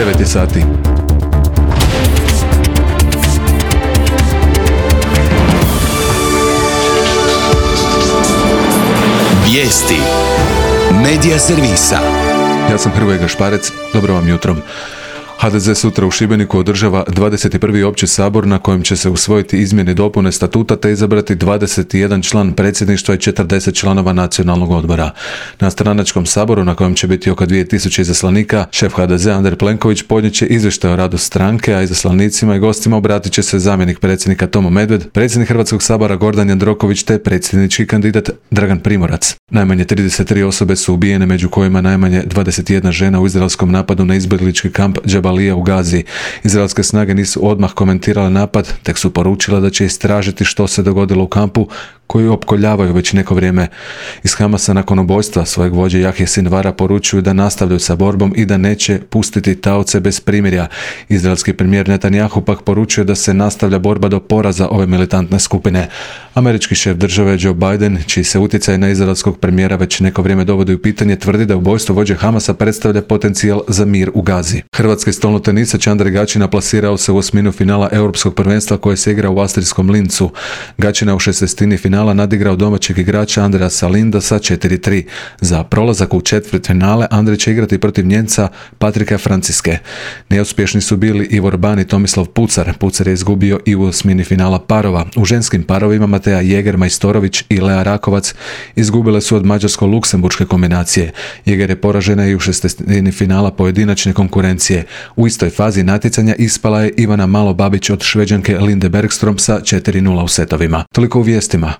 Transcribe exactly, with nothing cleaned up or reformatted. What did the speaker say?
devet je sati. Vijesti Medija servisa. Ja sam Hrvoje Gašparec, dobro vam jutro. ha de ze sutra u Šibeniku održava dvadeset prvi opći sabor na kojem će se usvojiti izmjene i dopune statuta te izabrati dvadeset jedan član predsjedništva i četrdeset članova nacionalnog odbora. Na stranačkom saboru na kojem će biti oko dvije tisuće izaslanika, šef ha de zea Andrej Plenković podnijet će izvještaj o radu stranke, a izaslanicima i gostima obratit će se zamjenik predsjednika Tomo Medved, predsjednik Hrvatskog sabora Gordan Jandroković te predsjednički kandidat Dragan Primorac. Najmanje trideset tri osobe su ubijene, među kojima najmanje dvadeset jedna žena u izraelskom napadu na izbjeglički kamp Džabalija u Gazi. Izraelske snage nisu odmah komentirale napad, tek su poručile da će istražiti što se dogodilo u kampu koji opkoljavaju već neko vrijeme. Iz Hamasa nakon ubojstva svojeg vođe Jahje Sinvara poručuju da nastavljaju sa borbom i da neće pustiti taoce bez primirja. Izraelski premijer Netanjahu pak poručuje da se nastavlja borba do poraza ove militantne skupine. Američki šef države Joe Biden, čiji se utjecaj na izraelskog premijera već neko vrijeme dovodi u pitanje, tvrdi da ubojstvo vođe Hamasa predstavlja potencijal za mir u Gazi. Hrvatski stolnotenisač Andrej Gaćina plasirao se u osminu finala Europskog prvenstva koje se igra u austrijskom Lincu. Gaćina u šestestini finala nadigrao domaćeg igrača Andreja Salinda sa četiri tri. Za prolazak u četvrtfinale Andrej će igrati protiv Nijemca Patrika Franciske. Neuspješni su bili Ivor Ban i Tomislav Pucar. Pucar je izgubio i u osmini finala parova. U ženskim parovima Mateja Jeger Majstorović i Lea Rakovac izgubile su od mađarsko-luksemburške kombinacije. Jeger je poražena i u šestestini finala pojedinačne konkurencije. U istoj fazi natjecanja ispala je Ivana Malo-Babić od Šveđanke Linde Bergstrom sa četiri nula u setovima. Toliko u vijestima.